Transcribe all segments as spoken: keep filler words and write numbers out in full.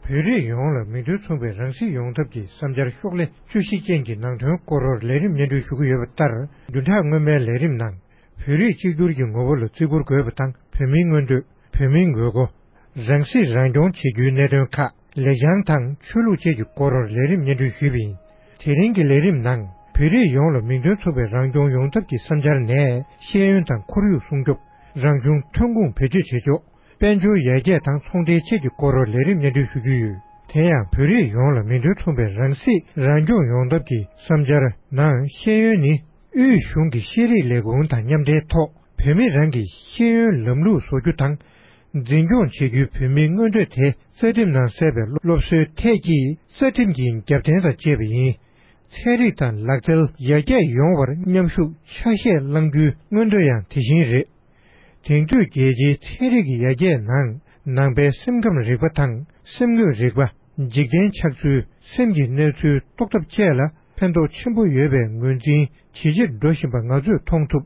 བོད་རིགས་ཡོངས་ལ་མིང་དོན་མཚུངས་པའི་རང་སྲིད་ཡོང་ཐབས་ཀྱི་བསམ་འཆར་ཤོག་ལྷེ་བཅུ་བཞི་ཅན་གྱི་ནང་དོན་སྐོར་ལས་རིམ་སྙན་སྒྲོན་ཞུ་གི་ཡོད་པ་ལྟར། བདུན་ཕྲག་སྔོན་མའི་ལས་རིམ་ནང་བོད་རིགས་གཅིག་གྱུར་གྱི་ངོ་བོ་ལ་བརྩི་བཀུར་དགོས་པ་དང་། བོད་མིའི་མངོན་འདོད། བོད་མིའི་དགོས་མཁོ། རང་སྲིད་རང་སྐྱོང་བྱེད་རྒྱུའི་གནད་དོན་ཁག་ལེགས་བྱང་དང་ཆོས་ལུགས་བཅས་ཀྱི་སྐོར་ལས་རིམ་སྙན་སྒྲོན་ཞུས་པ་ཡིན། དེ་རིང་གི་ལས་རིམ་ནང་བོད་རིགས་ཡོངས་ལ་མིང་དོན་མཚུངས་པའི་རང་སྐྱོང་ཡོང་ཐབས་ཀྱི་བསམ་འཆར་ནས་ཤེས་ཡོན་དང་ཁོར་ཡུག་སྲུང་སྐྱོབ། རང་བྱུང་ཐོན་ཁུངས་བེད་སྤྱོད་བྱེད་ཕྱོགས། དཔལ་འབྱོར་ཡར་རྒྱས་དང་ཚོང་འབྲེལ་བཅས་ཀྱི་སྐོར་ལས་རིམ་སྙན་སྒྲོན་ཞུ་རྒྱུ་ཡོད། དེ་ཡང་བོད་རིགས་ཡོངས་ལ་མིང་དོན་མཚུངས་པའི་རང་སྲིད་རང་སྐྱོང་ཡོང་ཐབས་ཀྱི་བསམ་འཆར་ནང་ཤེས་ཡོན་ནི། དབུས་གཞུང་གི་ཤེས་རིག་ལས་ཁུངས་དང་མཉམ་འབྲེལ་ཐོག་བོད་མི་རང་གི་ཤེས་ཡོན་ལམ་ལུགས་བཟོ་རྒྱུ་དང་། འཛིན་སྐྱོང་བྱེད་རྒྱུའི་བོད་མིའི་མངོན་འདོད་དེ་རྩ་ཁྲིམས་ནང་གསལ་བའི་སློབ་གསོའི་ཐད་ཀྱི་རྩ་ཁྲིམས་ཀྱི་རྒྱབ་རྟེན་དང་བཅས་པ་ཡིན། ཚན་རིག་དང་ལག་རྩལ་ཡར་རྒྱས་ཡོང་བར་མཉམ་ཞུགས་ཆ་ཤས་བླང་རྒྱུའི་མངོན་འདོད་ཡང་དེ་བཞིན་རེད། དེང་དུས་རྒྱལ་སྤྱིའི་ཚན་རིག་གི་ཡར་རྒྱས་ནང་ནང་པའི་སེམས་ཁམས་རིག་པ་དང་སེམས་ངོས་རིག་པ། འཇིག་རྟེན་ཆགས་ཚུལ། སེམས་ཀྱི་གནས་ཚུལ་རྟོགས་ཐབས་བཅས་ལ་ཕན་ཐོགས་ཆེན་པོ་ཡོད་པའི་ངོས་འཛིན་ཇེ་ཆེར་འགྲོ་བཞིན་པ་ང་ཚོས་མཐོང་ཐུབ།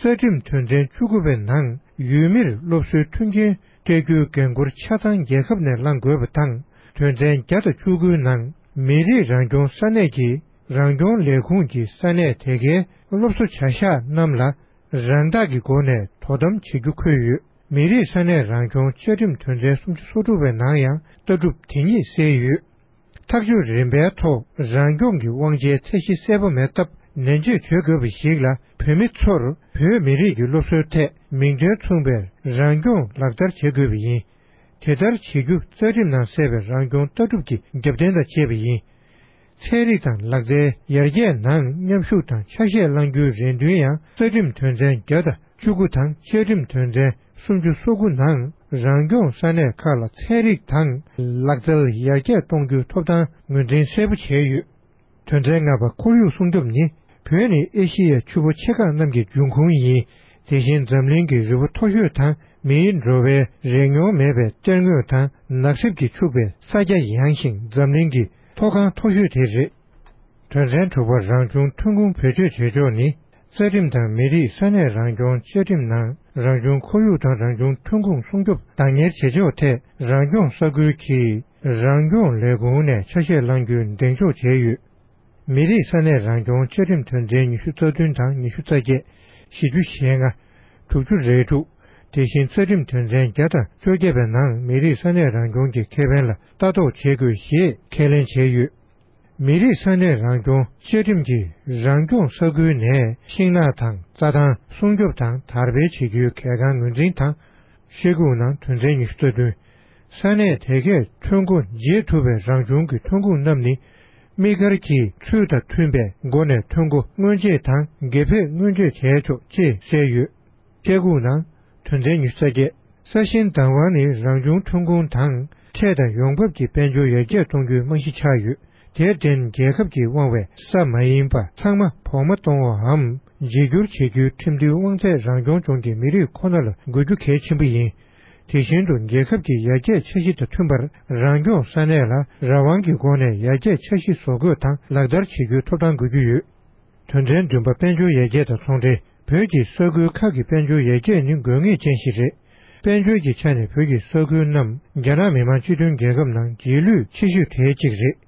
རྩ་ཁྲིམས་དོན་ཚན་བཅུ་དགུ་པའི་ནང་ཡུལ་མིར་སློབ་གསོའི་མཐུན་རྐྱེན་སྤྲད་རྒྱུའི་འགན་འཁུར་ཆ་ཚང་རྒྱལ་ཁབ་ནས་བླང་དགོས་པ་དང་། དོན་ཚན་བརྒྱ་དང་བཅུ་དགུའི་ནང་མི་རིགས་རང་སྐྱོང་ས་གནས་ཀྱི་རང་སྐྱོང་ལས་ཁུངས་ཀྱིས་ས་གནས་དེ་གའི་སློབ་གསོ་བྱ་གཞག་རྣམས་ལ་རང་བདག་གི་སྒོ་ནས་དོ་དམ་བྱེད་རྒྱུ་འཁོད་ཡོད། མི་རིགས་ས་གནས་རང་སྐྱོང་བཅའ་ཁྲིམས་དོན་ཚན་སུམ་ཅུ་སོ་དྲུག་པའི་ནང་ཡང་ལྟ་གྲུབ་དེ་ཉིད་གསལ་ཡོད། ཐག་གཅོད་རིམ་པའི་ཐོག་རང་སྐྱོང་གི་དབང་ཆའི་ཚད་གཞི་གསལ་པོ་མེད་སྟབས། ནན་བརྗོད་བྱེད་དགོས་པ་ཞིག་ལ། བོད་མི་ཚོར་བོད་མི་རིགས་ཀྱི་སློབ་གསོའི་ཐད་མིང་དོན་མཚུངས་པའི་རང་སྐྱོང་ལག་བསྟར་བྱེད་དགོས་པ་ཡིན། དེ་ལྟར་བྱེད་རྒྱུ་རྩ་ཁྲིམས་ནང་གསལ་བའི་རང་སྐྱོང་ལྟ་གྲུབ་ཀྱི་རྒྱབ་རྟེན་དང་བཅས་པ་ཡིན། ཚན་རིག་དང་ལག་རྩལ་ཡར་རྒྱས་ནང་མཉམ་ཞུགས་དང་ཆ་ཤས་བླང་རྒྱུའི་རེ་འདུན་ཡང་རྩ་ཁྲིམས་དོན་ཚན་བརྒྱ་དང་བཅུ་དགུ་དང་བཅའ་ཁྲིམས་དོན་ཚན་སུམ་ཅུ་སོ་དགུ་ནང་རང་སྐྱོང་ས་གནས་ཁག་ལ་ཚན་རིག་དང་ལག་རྩལ་ཡར་རྒྱས་གཏོང་རྒྱུའི་ཐོབ་ཐང་ངོས་འཛིན་གསལ་པོ་བྱས་ཡོད། དོན་ཚན་ལྔ་པ། ཁོར་ཡུག་སྲུང་སྐྱོབ་ནི། བོད་ནི་ཨེ་ཤི་ཡའི་ཆུ་བོ་ཆེ་ཁག་རྣམས་ཀྱི་འབྱུང་ཁུངས་ཡིན། དེ་བཞིན་འཛམ་གླིང་གི་རི་བོ་མཐོ་ཤོས་དང་མིའི་འགྲོ་བའི་རེ་མྱོང་མེད་པའི་གཏེར་དངོས་དང་ནགས་གསེབ་ཀྱིས་ཕྱུག་པའི་ས་ཆ་ཡངས་ཤིང་འཛམ་གླིང་གི་མཐོ་སྒང་མཐོ་ཤོས་དེ་རེད། དོན་ཚན་དྲུག་པ། རང་བྱུང་ཐོན་ཁུངས་བེད་སྤྱོད་བྱེད་ཕྱོགས་ནི། རྩ་ཁྲིམས་དང་མི་རིགས་ས་གནས་རང་སྐྱོང་བཅའ་ཁྲིམས་ནང་རང་བྱུང་ཁོར་ཡུག་དང་རང་བྱུང་ཐོན་ཁུངས་སྲུང་སྐྱོབ་བདག་གཉེར་བྱེད་ཕྱོགས་ཐད་རང་སྐྱོང་ས་ཁུལ་གྱིས་རང་སྐྱོང་ལས་ཁུངས་ནས་ཆ་ཤས་བླང་རྒྱུའི་གདེང་འཇོག་བྱས་ཡོད། མི་རིགས་ས་གནས་རང་སྐྱོང་བཅའ་ཁྲིམས་དོན་ཚན་ཉི་ཤུ་རྩ་བདུན་དང་ཉི་ཤུ་རྩ་བརྒྱད། བཞི་བཅུ་ཞེ་ལྔ། དྲུག་ཅུ་རེ་དྲུག། དེ་བཞིན་རྩ་ཁྲིམས་དོན་ཚན་བརྒྱ་དང་བཅོ་བརྒྱད་པའི་ནང་མི་རིགས་ས་གནས་རང་སྐྱོང་གི་ཁེ་ཕན་ལ་ལྟ་རྟོག་བྱེད་དགོས་ཞེས་ཁས་ལེན་བྱས་ཡོད། མི་རིགས་ས་གནས་རང་སྐྱོང་བཅའ་ཁྲིམས་ཀྱིས་རང་སྐྱོང་ས་ཁུལ་ནས་ཤིང་ནགས་དང་རྩྭ་ཐང་སྲུང་སྐྱོབ་དང་དར་སྤེལ་བྱེད་རྒྱུའི་གལ་འགངས་ངོས་འཛིན་དང་། ཤེལ་སྒོང་ནང་དོན་ཚན་ཉི་ཤུ་རྩ་བདུན། ས་གནས་དེ་གས་ཐོན་སྒོ་འབྱེད་ཐུབ་པའི་རང་བྱུང་གི་ཐོན་ཁུངས་རྣམས་ནི། དམིགས་བཀར་གྱིས་ཚུལ་དང་མཐུན་པའི་སྒོ་ནས་ཐོན་སྒོ་སྔོན་ཆད་དང་དགེ་ཕེབས་སྔོན་ཆད་བྱས་ཆོག་ཅེས་གསལ་ཡོད། ཤེལ་སྒོང་ནང་དོན་ཚན་ཉི་ཤུ་རྩ་བརྒྱད། ས་ཞིང་བདག་དབང་ནི་རང་བྱུང་ཐོན་ཁུངས་དང་འཕྲལ་དང་ཡོང་འབབ་ཀྱི་དཔལ་འབྱོར་ཡར་རྒྱས་གཏོང་རྒྱུའི་རྨང་གཞི་ཆགས་ཡོད། དེར་བརྟེན་རྒྱལ་ཁབ་ཀྱིས་དབང་བའི་ས་མ་ཡིན་པ་ཚང་མ་བོགས་མ་གཏོང་བའམ་བརྗེ་སྒྱུར་བྱེད་རྒྱུའི་ཁྲིམས་མཐུན་དབང་ཚད་རང་སྐྱོང་ལྗོངས་ཀྱི་མི་རིགས་ཁོ་ན་ལ་དགོས་རྒྱུ་གལ་ཆེན་པོ་ཡིན། དེ་བཞིན་དུ་རྒྱལ་ཁབ་ཀྱི་ཡར་རྒྱས་འཆར་གཞི་དང་མཐུན་པར་རང་སྐྱོང་ས་གནས་ལ་རང་དབང་གི་སྒོ་ནས་ཡར་རྒྱས་འཆར་གཞི་བཟོ་འགོད་དང་ལག་བསྟར་བྱེད་རྒྱུའི་ཐོབ་ཐང་དགོས་ཀྱི་ཡོད། དོན་ཚན་བདུན་པ། དཔལ་འབྱོར་ཡར་རྒྱས་དང་ཚོང་འབྲེལ། བོད་ཀྱི་ས་ཁུལ་ཁག་གི་དཔལ་འབྱོར་ཡར་རྒྱས་ནི་དགོས་ངེས་ཅན་ཞིག་རེད། དཔལ་འབྱོར་གྱི་ཆ་ནས་བོད་ཀྱི་ས་ཁུལ་རྣམས་རྒྱ་ནག་མི་དམངས་སྤྱི་མཐུན་རྒྱལ་ཁབ་ནང་རྗེས་ལུས་ཆེ་ཤོས་དེའི་གཅིག་རེད།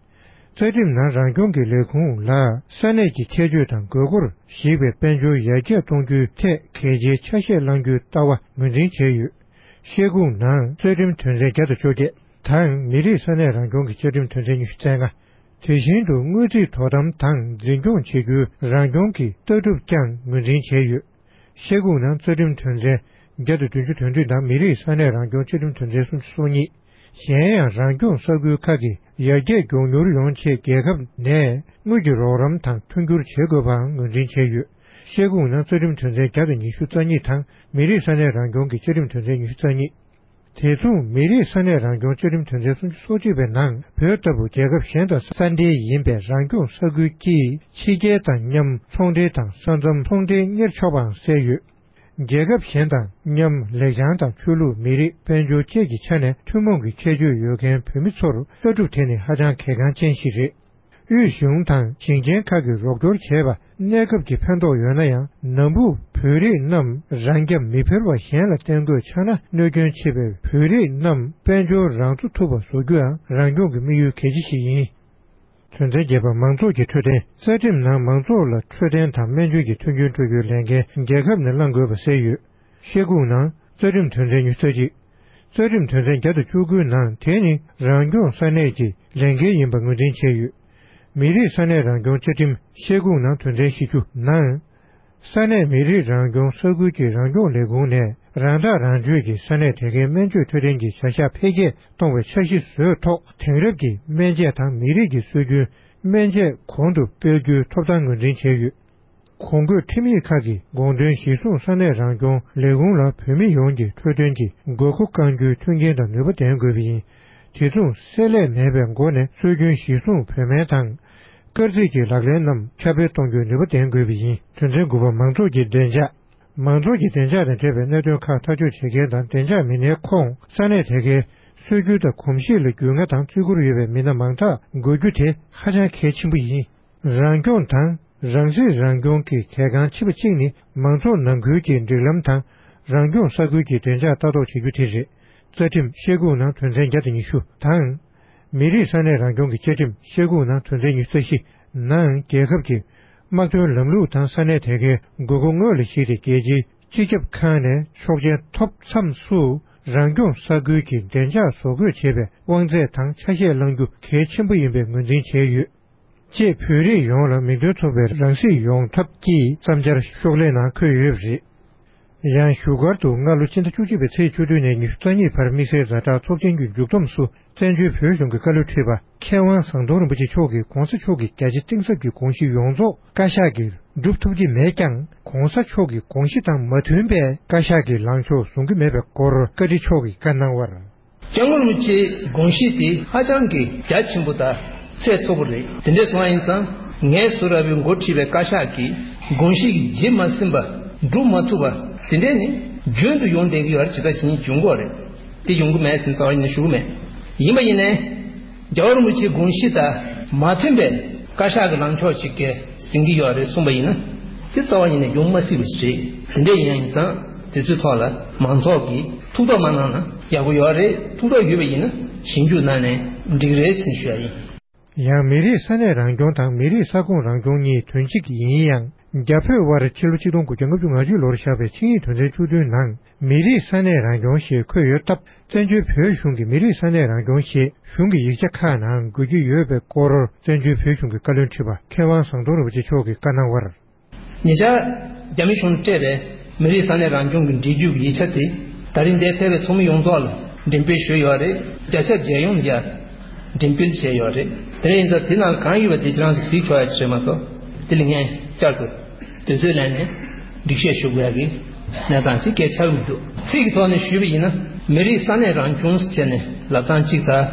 རྩ་ཁྲིམས་ནང་རང་སྐྱོང་གི་ལས་ཁུངས་ལ་ས་གནས་ཀྱི་ཁྱད་ཆོས་དང་དགོས་མཁོར་གཞིགས་པའི་དཔལ་འབྱོར་ཡར་རྒྱས་གཏོང་རྒྱུའི་ཐད་གལ་ཆེའི་ཆ་ཤས་བླང་རྒྱུའི་ལྟ་བ་ངོས་འཛིན་བྱས་ཡོད། ཤེལ་སྒོང་ནང་རྩ་ཁྲིམས་དོན་ཚན་བརྒྱ་དང་བཅོ་བརྒྱད་དང་མི་རིགས་ས་གནས་རང་སྐྱོང་གི་བཅའ་ཁྲིམས་དོན་ཚན་ཉི་ཤུ་རྩ་ལྔ། དེ་བཞིན་དུ་དངུལ་རྩིས་དོ་དམ་དང་འཛིན་སྐྱོང་བྱེད་རྒྱུའི་རང་སྐྱོང་གི་ལྟ་གྲུབ་ཀྱང་ངོས་འཛིན་བྱས་ཡོད། ཤེལ་སྒོང་ནང་རྩ་ཁྲིམས་དོན་ཚན་བརྒྱ་དང་བདུན་ཅུ་དོན་བདུན་དང་མི་རིགས་ས་གནས་རང་སྐྱོང་བཅའ་ཁྲིམས་དོན་ཚན་སུམ་ཅུ་སོ་གཉིས། གཞན་ཡང་རང་སྐྱོང་ས་ཁུལ་ཁག་གི་ཡར་རྒྱས་མགྱོགས་མྱུར་ཡོང་ཆེད་རྒྱལ་ཁབ་ནས་དངུལ་གྱི་རོགས་རམ་དང་མཐུན་འགྱུར་བྱེད་དགོས་པའང་ངོས་འཛིན་བྱས་ཡོད། ཤེལ་སྒོང་ནང་རྩ་ཁྲིམས་དོན་ཚན་བརྒྱ་དང་ཉི་ཤུ་རྩ་གཉིས་དང་མི་རིགས་ས་གནས་རང་སྐྱོང་གི་བཅའ་ཁྲིམས་དོན་ཚན་ཉི་ཤུ་རྩ་གཉིས། དེ་མཚུངས་མི་རིགས་ས་གནས་རང་སྐྱོང་བཅའ་ཁྲིམས་དོན་ཚན་སུམ་ཅུ་སོ་གཅིག་པའི་ནང་བོད་ལྟ་བུ་རྒྱལ་ཁབ་གཞན་དང་ས་འབྲེལ་ཡིན་པའི་རང་སྐྱོང་ས་ཁུལ་གྱིས་ཕྱི་རྒྱལ་དང་མཉམ་ཚོང་འབྲེལ་དང་ས་མཚམས་ཚོང་འབྲེལ་གཉེར་ཆོག་པའང་གསལ་ཡོད། རྒྱལ་ཁབ་གཞན་དང་མཉམ་ལེགས་བྱང་དང་ཆོས་ལུགས་མི་རིགས་དཔལ་འབྱོར་བཅས་ཀྱི་ཆ་ནས་ཐུན་མོང་གི་ཁྱད་ཆོས་ཡོད་མཁན་བོད་མི་ཚོར་ལྟ་གྲུབ་དེ་ནི་ཧ་ཅང་གལ་འགངས་ཅན་ཞིག་རེད། དབུས་གཞུང་དང་ཞིང་ཆེན་ཁག་གིས་རོགས་སྐྱོར་བྱས་པ། གནས་སྐབས་ཀྱི་ཕན་ཐོགས་ཡོད་ན་ཡང་། ནམ་བུ་བོད་རིགས་རྣམས་རང་རྐྱ་མི་འཕེར་བ་གཞན་ལ་བརྟེན་དགོས་ཆགས་ན། གནོད་སྐྱོན་ཆེ་བས་བོད་རིགས་རྣམས་དཔལ་འབྱོར་རང་གཙོ་ཐུབ་པ་བཟོ་རྒྱུའང་རང་སྐྱོང་གི་དམིགས་ཡུལ་གལ་ཆེ་ཞིག་ཡིན། དོན་ཚན་བརྒྱད་པ། མང་ཚོགས་ཀྱི་འཕྲོད་བསྟེན། རྩ་ཁྲིམས་ནང་མང་ཚོགས་ལ་འཕྲོད་བསྟེན་དང་སྨན་བཅོས་ཀྱི་མཐུན་རྐྱེན་སྤྲོད་རྒྱུའི་ལས་འགན་རྒྱལ་ཁབ་ནས་བླང་དགོས་པ་གསལ་ཡོད། ཤེལ་སྒོང་ནང་རྩ་ཁྲིམས་དོན་ཚན་ཉི་ཤུ་རྩ་གཅིག། རྩ་ཁྲིམས་དོན་ཚན་བརྒྱ་དང་བཅུ་དགུའི་ནང་དེ་ནི་རང་སྐྱོང་ས་གནས་ཀྱི་ལས་འགན་ཡིན་པ་ངོས་འཛིན་བྱས་ཡོད། མི་རིགས་ས་གནས་རང་སྐྱོང་བཅའ་ཁྲིམས་ཤེལ་སྒོང་ནང་དོན་ཚན་བཞི་བཅུ་ནང་། ས་གནས་མི་རིགས་རང་སྐྱོང་ས་ཁུལ་གྱི་རང་སྐྱོང་ལས་ཁུངས་ནས་རང་ཐག་རང་གཅོད་ཀྱིས་ས་གནས་དེ་གའི་སྨན་བཅོས་འཕྲོད་བསྟེན་གྱི་བྱ་གཞག་འཕེལ་རྒྱས་གཏོང་བའི་འཆར་གཞི་བཟོས་ཐོག་དེང་རབས་ཀྱི་སྨན་དཔྱད་དང་མི་རིགས་ཀྱི་སྲོལ་རྒྱུན་སྨན་དཔྱད་གོང་དུ་སྤེལ་རྒྱུའི་ཐོབ་ཐང་ངོས་འཛིན་བྱས་ཡོད། གོང་འཁོད་ཁྲིམས་ཡིག་ཁག་གི་དགོངས་དོན་གཞིར་བཟུང་ས་གནས་རང་སྐྱོང་ལས་ཁུངས་ལ་བོད་མི་ཡོངས་ཀྱི་འཕྲོད་བསྟེན་གྱི་དགོས་མཁོ་བསྐང་རྒྱུའི་མཐུན་རྐྱེན་དང་ནུས་པ་ལྡན་དགོས་པ་ཡིན། དེ་མཚུངས་བསྲེ་ལྷད་མེད་པའི་སྒོ་ནས་སྲོལ་རྒྱུན་གཞིར་བཟུང་བོད་སྨན་དང་། སྐར་རྩིས་ཀྱི་ལག་ལེན་རྣམས་ཁྱབ་སྤེལ་གཏོང་རྒྱུའི་ནུས་པ་ལྡན་དགོས་པ་ཡིན། དོན་ཚན་དགུ་པ། མང་ཚོགས་ཀྱི་བདེ་འཇགས། མང་ཚོགས་ཀྱི་བདེ་འཇགས་དང་འབྲེལ་བའི་གནད་དོན་ཁག་ཐག་གཅོད་བྱེད་མཁན་དང་བདེ་འཇགས་མི་སྣའི་ཁོངས་ས་གནས་དེ་གའི་སྲོལ་རྒྱུན་དང་གོམས་གཤིས་ལ་རྒྱུས་མངའ་དང་བརྩི་བཀུར་ཡོད་པའི་མི་སྣ་མང་དག་དགོས་རྒྱུ་དེ་ཧ་ཅང་གལ་ཆེན་པོ་ཡིན། རང་སྐྱོང་དང་རང་སྲིད་རང་སྐྱོང་གི་གལ་འགངས་ཆེ་བ་གཅིག་ནི་མང་ཚོགས་ནང་ཁུལ་གྱི་སྒྲིག་ལམ་དང་རང་སྐྱོང་ས་ཁུལ་གྱི་བདེ་འཇགས་ལྟ་རྟོག་བྱེད་རྒྱུ་དེ་རེད། རྩ་ཁྲིམས་ཤེལ་སྒོང་ནང་དོན་ཚན་བརྒྱ་དང་ཉི་ཤུ་དང་། མི་རིགས་ས་གནས་རང་སྐྱོང་གི་བཅའ་ཁྲིམས་ཤེལ་སྒོང་ནང་དོན་ཚན་ཉི་ཤུ་རྩ་བཞི་ནང་རྒྱལ་ཁབ་ཀྱི་དམག་དོན་ལམ་ལུགས་དང་ས་གནས་དེ་གའི་དགོས་མཁོ་དངོས་ལ་གཞིགས་ཏེ་རྒྱལ་སྤྱིའི་སྤྱི་ཁྱབ་ཁང་ནས་ཆོག་མཆན་ཐོབ་མཚམས་སུ་རང་སྐྱོང་ས་ཁུལ་གྱི་བདེ་འཇགས་བཟོ་འགོད་བྱེད་པའི་དབང་ཚད་དང་ཆ་ཤས་བླང་རྒྱུ་གལ་ཆེན་པོ་ཡིན་པའི་ངོས་འཛིན་བྱས་ཡོད། ཅེས་བོད་རིགས་ཡོངས་ལ་མིང་དོན་མཚུངས་པའི་རང་སྲིད་ཡོང་ཐབས་ཀྱི་བསམ་འཆར་ཤོག་ལྷེ་ནང་འཁོད་ཡོད་པ་རེད། ཡང་བཞུགས་སྒར་དུ་སྔ་ལོ་ཕྱི་ཟླ་བཅུ་གཅིག་པའི་ཚེས་བཅུ་བདུན་ནས་ཉི་ཤུ་རྩ་གཉིས་བར་དམིགས་བསལ་ཛ་དྲག་ཚོགས་ཆེན་གྱི་མཇུག་བསྡོམས་སུ་བཙན་བྱོལ་བོད་གཞུང་གི་བཀའ་བློན་ཁྲི་པ་མཁས་དབང་ཟམ་གདོང་རིན་པོ་ཆེ་མཆོག་གིས་གོང་ས་མཆོག་གི་རྒྱ་ཆེ་གཏིང་ཟབ་ཀྱི་དགོངས་གཞི་ཡོངས་རྫོགས་བཀའ་ཤག་གིས་སྒྲུབ་ཐུབ་ཀྱི་མེད་ཀྱང་། གོང་ས་མཆོག་གི་དགོངས་གཞི་དང་མ་མཐུན་པའི་བཀའ་ཤག་གི་ལངས་ཕྱོགས་བཟུང་གི་མེད་པའི་སྐོར་བཀའ་ཁྲི་མཆོག་གིས་བཀའ་གནང་བར། སྐྱབས་མགོན་རིན་པོ་ཆེའི་དགོངས་གཞི་དེ་ཧ་ཅང་གི་རྒྱ་ཆེན་པོ་དང་ཚད་མཐོ་པོ་རེད། དེ་འདྲ་སོང་བ་ཡིན་ཙང་ངས་ཟུར་ར་བའི་འགོ་ཁྲིད་པའི་བཀའ་ཤག་གིས་དགོངས་གཞི་གི་ཇི་མ་ཟིན་པ་སྒྲུབ་མ་ཐུབ་པ་དེ་འདྲ་ནི་རྒྱུན་དུ་ཡོང་བསྡད་ཀྱི་ཡོད་རེད། ཇི་ལྟར་བྱས་ནས་འབྱུང་གི་ཡོད་རེད། དེ་ཡོང་གི་མེད་ཟེར་རྩ་བ་ཉིད་ནས་ཞུ་གི་མེད། ཡིན་པ་ཡིན་ནའི་རྒྱལ་བ་རིན་པོ་ཆེའི་དགོངས་གཞི་དང་མ་མཐུན་པའི་བཀའ་ཤག་གི་ལངས་ཕྱོགས་ཅིག་གིས་ཟིན་གྱི་ཡོད་རེད་གསུངས་པ་ཡིན་ན། དེ་རྩ་བ་ཉིད་ནས་ཡོང་མ་སྲིད་པ་ཞིག་རེད། དེ་འདྲ་ཡིན་ཡང་ཡིན་ཙང་དེ་ཚོའི་ཐོག་ལ་མང་ཚོགས་ཀྱིས་ཐུགས་དོགས་མ་གནང་ན་ཡག་པོ་ཡོད་རེད། ཐུགས་དོགས་ཡོད་པ་ཡིན་ན་ཞིབ་འཇུག་གནང་ནས་འགྲིག་རེད་ཟེར་ཞུ་ཡ་ཡིན། ཡང་མི་རིགས་ས་གནས་རང་སྐྱོང་དང་མི་རིགས་ས་ཁོངས་རང་སྐྱོང་གཉིས་དོན་གཅིག་ཡིན་ཡང་། རྒྱ་བོད་དབར་ཕྱི་ལོ་ཆིག་སྟོང་དགུ་བརྒྱ་ལྔ་བཅུ་ང་གཅིག་ལོར་བཞག་པའི་ཆིངས་ཡིག་དོན་ཚན་བཅུ་བདུན་ནང་མི་རིགས་ས་གནས་རང་སྐྱོང་ཞེས་འཁོད་ཡོད་སྟབས། བཙན་བྱོལ་བོད་གཞུང་གི་མི་རིགས་ས་གནས་རང་སྐྱོང་ཞེས་གཞུང་གི་ཡིག་ཆ་ཁག་ནང་འགོད་ཀྱི་ཡོད་པའི་སྐོར་བཙན་བྱོལ་བོད་གཞུང་གི་བཀའ་བློན་ཁྲི་པ་མཁས་དབང་ཟམ་གདོང་རིན་པོ་ཆེ་མཆོག་གིས་བཀའ་གནང་བར། ཉེ་ཆར་རྒྱ་མི་གཞུང་ནས་སྤྲད་པའི་མི་རིགས་ས་གནས་རང་སྐྱོང་གི་འབྲེལ་བརྒྱུད་ཀྱི་ཡིག་ཆ་དེ་ད་རིང་འདིར་ཕེབས་པའི་ཚོགས་མི་ཡོངས་རྫོགས་ལ་འགྲེམས་སྤེལ་ཞུས་ཡོད་རེད། རྒྱ་ཁྱབ་མཇལ་ཡོང་ཡ་འགྲེམས་སྤེལ་བྱས་ཡོད་རེད། དེ་འདྲ་ཡིན་ཙང་དེ་ནང་ལ་གང་ཡོད་པ་དེ་ཁྱེད་རང་ཚོ་གཟིགས་ཆོག་ཡ་ཅིག་རེད་མ་གཏོགས་དེ་ལ་ངས་བསྐྱར་དུ་དུས་ཚོད་ལེན་ནས་སྒྲིག་བཤེར་ཞུ་དགོས་ཡ་གི་གནས་སྟངས་ཅིག་གལ་ཆགས་ཀྱི་མི་འདུག་ཚིག་གི་ཐོག་ནས་ཞུས་པ་ཡིན་ན་མི་རིགས་ས་གནས་རང་སྐྱོང་ཟེར་ནས་ལབ་སྟངས་གཅིག་དང་།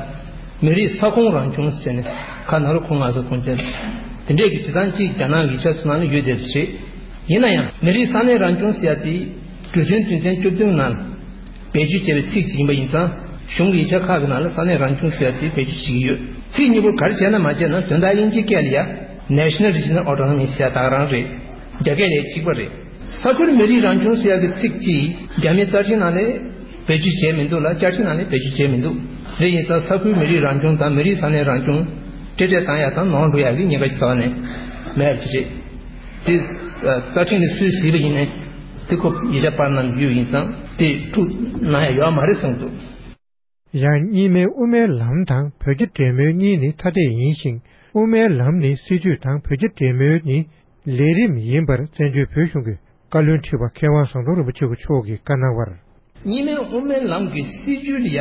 མི་རིགས་ས་ཁོངས་རང་སྐྱོང་ཟེར་ནས་ཁ་ནང་ལ་ཁོང་ང་ཚོ་ཁོང་ཚོ་དེ་འདྲས་ཀྱི་བྱེད་སྟངས་གཅིག་རྒྱ་ནག་ཡིག་ཆ་ཚོ་ནང་ལ་ཡོད་བསྡད་པ་རེད། ཡིན་ན་ཡང་མི་རིགས་ས་གནས་རང་སྐྱོང་ཟེར་ཡ་དེ་གྲོས་མཐུན་དོན་ཚན་བཅུ་བདུན་ནང་བེད་སྤྱོད་བྱས་པའི་ཚིག་ཅིག་ཡིན་པ་ཡིན་ཙང་གཞུང་གི་ཡིག་ཆ་ཁག་གི་ནང་ལ་ས་གནས་རང་སྐྱོང་ཟེར་ཡ་དེ་བེད་སྤྱོད་བྱེད་ཀྱི་ཡོད། ཚིག་གཉིས་པོ་ག་རེ་བྱས་ན་མ་བྱས་ན་དོན་དག་དབྱིན་ཇིའི་སྐད་ལ་ཡ་National Regional Autonomy ཟེར་ཡ་ད་ག་རང་རེད། རྒྱ་སྐད་ལ་ཡ་གཅིག་པ་རེད། ས་ཁུལ་མི་རིགས་རང་སྐྱོང་ཟེར་ཡག་གི་ཚིག་གཅིག་རྒྱ་མིའི་རྩ་ཁྲིམས་ནང་ལས་བེད་སྤྱོད་བྱས་མི་འདུག་ལ་བཅའ་ཁྲིམས་ནང་ལས་བེད་སྤྱོད་བྱས་མི་འདུག་དེ་ཡིན་ཙང་ས་ཁུལ་མི་རིགས་རང་སྐྱོང་དང་མི་རིགས་ས་གནས་རང་སྐྱོང་འབྲེལ་འདྲིས་བཏང་ཡག་དང་ནོར་འགྲོ་ཡག་གི་ཉེན་ཁ་ཞིག་རྩ་བ་ནས་མེད་པ་ཅིག་རེད། དེ་རྩ་ཁྲིམས་ནས་སུས་གཟིགས་པ་ཡིན་ནའི་དེ་ཁོ་ཡིག་ཆ་པར་ནང་ཡོད་ཡིན་ཙང་དེ་འཁྲུག་གནང་ཡག་ཡོད་མ་རེད་བསམ་འདུག་ཡང་གཉིས་སྨན་དབུ་མའི་ལམ་དང་བོད་རྒྱ་འབྲེལ་མོལ་གཉིས་ནི་ཐ་དད་ཡིན་ཞིང་། དབུ་མའི་ལམ་ནི་སྲིད་བྱུས་དང་བོད་རྒྱ་འབྲེལ་མོལ་ནི་ལས་རིམ་ཡིན་པར་བཙན་བྱོལ་བོད་གཞུང་གི་བཀའ་བློན་ཁྲི་པ་མཁས་དབང་ཟམ་གདོང་རིན་པོ་ཆེ་མཆོག་གིས་བཀའ་གནང་བར། གཉིས་སྨན་དབུ་མའི་ལམ་གྱི་སྲིད་བྱུས་ལ་ཡ་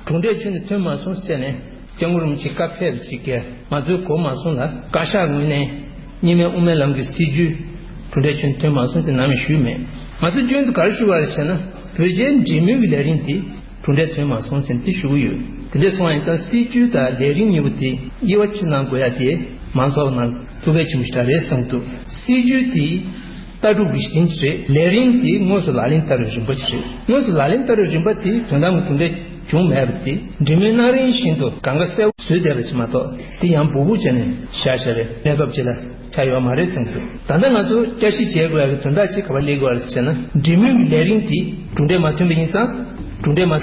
གྲུབ་འབྲས་ཁྱོན་ནས་ཐོན་མ་སོང་ཟེར་ནས་སྐྱབས་མགོན་རིན་པོ་ཆེ་བཀའ་ཕེབས་ཤིག་གིས་ང་ཚོའི་གོ་མ་སོང་ལ་བཀའ་ཤག་ངོས་ནས་གཉིས་སྨན་དབུ་མའི་ལམ་གྱི་སྲིད་བྱུས་གྲུབ་འབྲས་ཁྱོན་ནས་ཐོན་མ་སོང་ཟེར་ནམ་ཡང་ཞུས་མེད། ང་ཚོ་རྒྱུན་དུ་ག་རེ་ཞུ་བ་རེད་ཟེར་ན་བོད་རྒྱའི་འབྲེལ་མོལ་གྱི་ལས་རིམ་དེ་གྲུབ་འབྲས་ཐོན་མ་སོང་ཟེར་ནས་དེ་ཞུ་གི་ཡོད། དེ་འདྲ་སོང་བ་ཡིན་ཙང་སྲིད་བྱུས་དང་ལས་རིམ་གཉིས་པོ་དེ་དབྱེ་བ་ཕྱེ་གནང་དགོས་ཡ་དེ་མང་ཚོགས་ནང་ཐུགས་ཕན་ཆེན་པོ་ཞིག་རེད་བསམ་འདུག་སྲིད་བྱུས་དེ་ལྟ་གྲུབ་ཀྱི་གཞི་རྟེན་ཅིག་རེད། ལས་རིམ་དེ་དངོས་སུ་ལག་ལེན་བསྟར་བའི་རིམ་པ་ཅིག་རེད། དངོས་སུ་ལག་ལེན་བསྟར་བའི་རིམ་པ་དེ་དོན་དམ་གྱི་གྲུབ་འབྲས་ བྱུང་མེད་པ་དེ་འབྲེལ་མོལ་གནང་རིང་བཞིན་དུ་གང་ག་གསལ་པོ་བཟོས་བསྡད་པ་ཅིག་མ་གཏོགས། དེ་ཡང་སྦུག་སྦུག་བྱས་ནས་བཞག་བཞག་རེད། གནས་བབ་ཅིག་ལ་ཆགས་ཡོད་མ་རེད་བསམ་གྱི་འདུག་ད་ལྟ་ང་ཚོ་བསྐྱར་ཞིབ་བྱེད་དགོས་ཡག་གི་དོན་དག་ཅིག་ག་པར་སླེབས་ཀྱི་ཡོད་རེད་ཟེར་ན། འབྲེལ་མོལ་གྱི་ལས་རིམ་དེ་གྲུབ་འབྲས་མ་ཐོན་པ་ཡིན་ཙང་། གྲུབ་འབྲས་མ་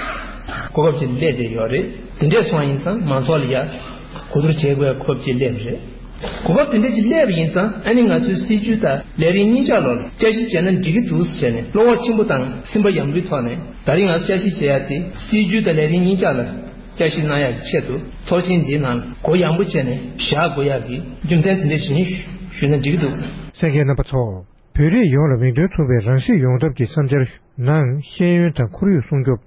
གོ་སྐབས་ཅིག་སླེབས་བསྡད་ཡོད་རེད། དེ་འདྲས་སོང་བ་ཡིན་ཙང་མང་ཚོགས་ལ་ཡ་གོ་བསྡུར་བྱེད་དགོས་ཡག་གོ་སྐབས་ཅིག་སླེབས་པ་རེད། གོ་སྐབས་དེ་འདྲ་ཞིག་སླེབས་པ་ཡིན་ཙང་། ཨ་ནི་ང་ཚོའི་སྲིད་ཇུས་དང་ལས་རིམ་གཉིས་ཆ་ལོག་ལ་བསྐྱར་ཞིབ་བྱས་ན་འགྲིག་གི་འདུག་ཟེར་ནས་བློ་ཁོག་ཆེན་པོ་དང་སེམས་པ་ཡམ་རུའི་ཐོག་ནས། ད་རིང་ང་ཚོ་བསྐྱར་ཞིབ་བྱེད་ཡ་དེ་སྲིད་ཇུས་དང་ལས་རིམ་གཉིས་ཆ་ལ་བསྐྱར་ཞིབ་གནང་ཡ་གི་ཆེད་དུ། ཚོགས་ཆེན་འདིའི་ནང་ལ་གུ་ཡངས་པོ་བྱས་ནས་བཞག་དགོས་ཡ་གི་རྒྱུ་མཚན་དེ་འདྲ་ཞིག་ཡིན་ཞུས་ན་འགྲིག་གི་འདུག་གསན་མཁན་རྣམ་པ་ཚོ། བོད་རིགས་ཡོངས་ལ་མིང་དོན་མཚུངས་པའི་རང་སྲིད་ཡོང་ཐབས་ཀྱི་བསམ་འཆར་ནང་། ཤེས་ཡོན་དང་ཁོར་ཡུག་སྲུང་སྐྱོབ།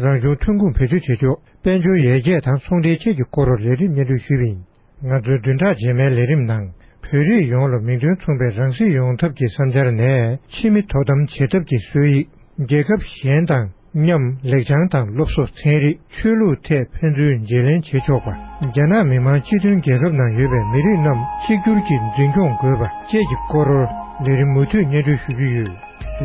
རང་བྱུང་ཐོན་ཁུངས་བེད་སྤྱོད་བྱེད་ཕྱོགས། དཔལ་འབྱོར་ཡར་རྒྱས་དང་ཚོང་འབྲེལ་བཅས་ཀྱི་སྐོར་ལས་རིམ་སྙན་སྒྲོན་ཞུས་པ་ཡིན། ང་ཚོའི་བདུན་ཕྲག་རྗེས་མའི་ལས་རིམ་ནང་། བོད་རིགས་ཡོངས་ལ་མིང་དོན་མཚུངས་པའི་རང་སྲིད་ཡོང་ཐབས་ཀྱི་བསམ་འཆར་ནས། ཕྱི་མི་དོ་དམ་བྱེད་ཐབས་ཀྱི་སྲོལ་ཡིག་རྒྱལ་ཁབ་གཞན་དང་མཉམ་ལེགས་བྱང་དང་སློབ་གསོ། ཚན་རིག་ཆོས་ལུགས་ཐད་ཕན་ཚུན་བརྗེ་ལེན་བྱེད་ཆོག་པ། རྒྱ་ནག་མི་དམངས་སྤྱི་མཐུན་རྒྱལ་ཁབ་ནང་ཡོད་པའི་མི་རིགས་རྣམས་གཅིག་གྱུར་གྱིས་འཛིན་སྐྱོང་དགོས་པ་བཅས་ཀྱི་སྐོར་ལས་རིམ་མུ་མཐུད་སྙན་སྒྲོན་ཞུ་རྒྱུ་ཡོད།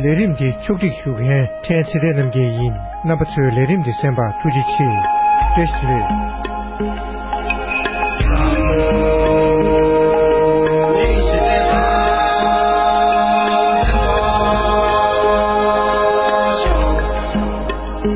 ལས་རིམ་འདི་ཕྱོགས་སྒྲིག་ཞུ་མཁན་ཕྲན་ཚེ་བརྟན་རྣམ་རྒྱལ་ཡིན། རྣམ་པ་ཚོས་ལས་རིམ་འདི་གསན་པར་ཐུགས་རྗེ་ཆེ། བཀྲ་ཤིས་བདེ་ལེགས།